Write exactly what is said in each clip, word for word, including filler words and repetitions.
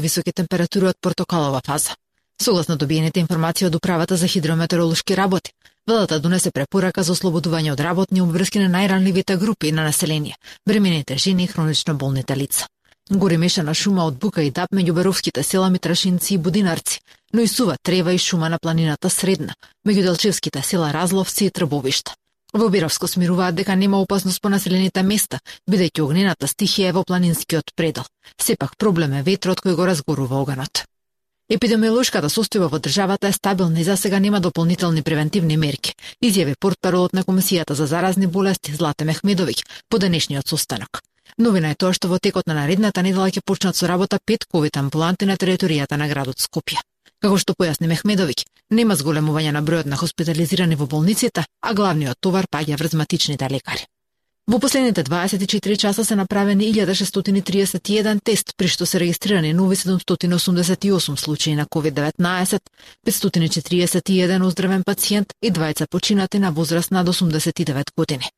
високи температури од портокалова фаза. Согласно добиените информации од Управата за хидрометеоролошки работи, владата донесе препорака за ослободување од работни обврски на најранливите групи на население, бремените жени и хронично болните лица. Гори мешана шума од бука и дап меѓу Беровските села Митрашинци и Будинарци, но и сува трева и шума на планината Средна, меѓу Делчевските села Разловци и Трбовишта. Во Биравско смируваат дека нема опасност по населените места, бидејќи огнената стихија е во планинскиот предел. Сепак проблем е ветрот кој го разгорува оганот. Епидемиолошката состојба во државата е стабилна и засега нема дополнителни превентивни мерки, изјави портпаролот на Комисијата за заразни болести Злате Мехмедовиќ по денешниот состанок. Новина е тоа што во текот на наредната недела ќе почнат со работа пет ковид амбуланти на територијата на градот Скопје. Како што појасни Мехмедовиќ, нема зголемување на бројот на хоспитализирани во болниците, а главниот товар паѓа врз матичните лекари. Во последните дваесет и четири часа се направени илјада шестстотини триесет и еден тест, при што се регистрирани нови седумстотини осумдесет и осум случаи на ковид деветнаесет, петстотини четириесет и еден оздравен пациент и двајца починати на возраст над осумдесет и девет години.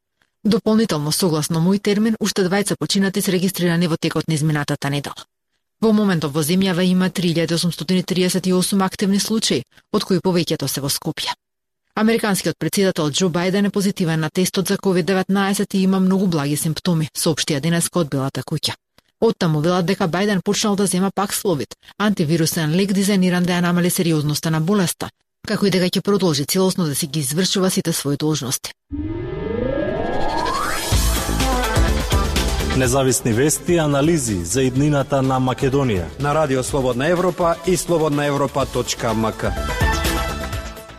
Дополнително, согласно мој термин, уште двајца починати се регистрирани во текот на изминатата недела. Во моментов во земјава има три илјади осумстотини триесет и осум активни случаи, од кои повеќето се во Скопје. Американскиот претседател Џо Бајден е позитивен на тестот за ковид деветнаесет и има многу благи симптоми, соопштија денеска од Белата куќа. Оттаму велат дека Бајден почнал да зема Паксловид, антивирусен лек дизајниран да ја намали сериозноста на болеста, како и дека ќе продолжи целосно да си ги извршува сите своји должности. Независни вести и анализи за иднината на Македонија на Радио Слободна Европа и слободна европа точка ем ка.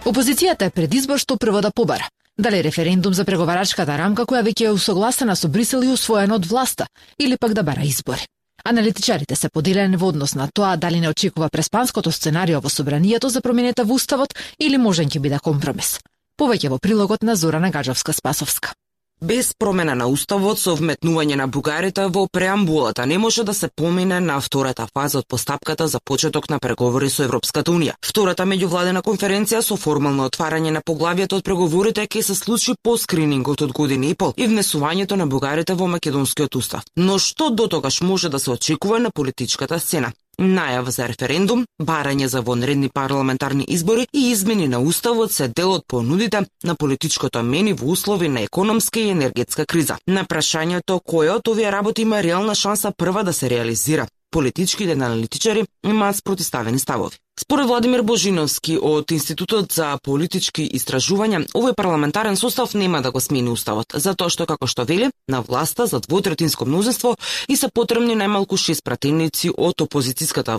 Опозицијата е пред избор што прво да побара. Дали референдум за преговарачката рамка која веќе е усогласена со Брисел и усвоена од власта, или пак да бара избори. Аналитичарите се поделени во однос на тоа дали не очекува преспанското сценарио во собранието за промените во уставот или можен ќе биде компромис. Повеќе во прилогот на Зорана Гаджовска-Спасовска. Без промена на уставот со вметнување на бугарите во преамбулата не може да се помине на втората фаза од постапката за почеток на преговори со Европската унија. Втората меѓувладена конференција со формално отварање на поглавието од преговорите ќе се случи по скринингот од година и пол и внесувањето на бугарите во македонскиот устав. Но што дотогаш може да се очекува на политичката сцена? Најава за референдум, барање за вонредни парламентарни избори и измени на уставот се дел од понудите на политичкото мени во услови на економска и енергетска криза. На прашањето кој од овие работи има реална шанса прва да се реализира, политичките аналитичари имаат спротивставени ставови. Според Владимир Божиновски од Институтот за политички истражувања, овој парламентарен состав нема да го смени уставот, затоа што, како што вели, на власта за двотретинско мнозинство и се потребни најмалку шест пратеници од опозицијската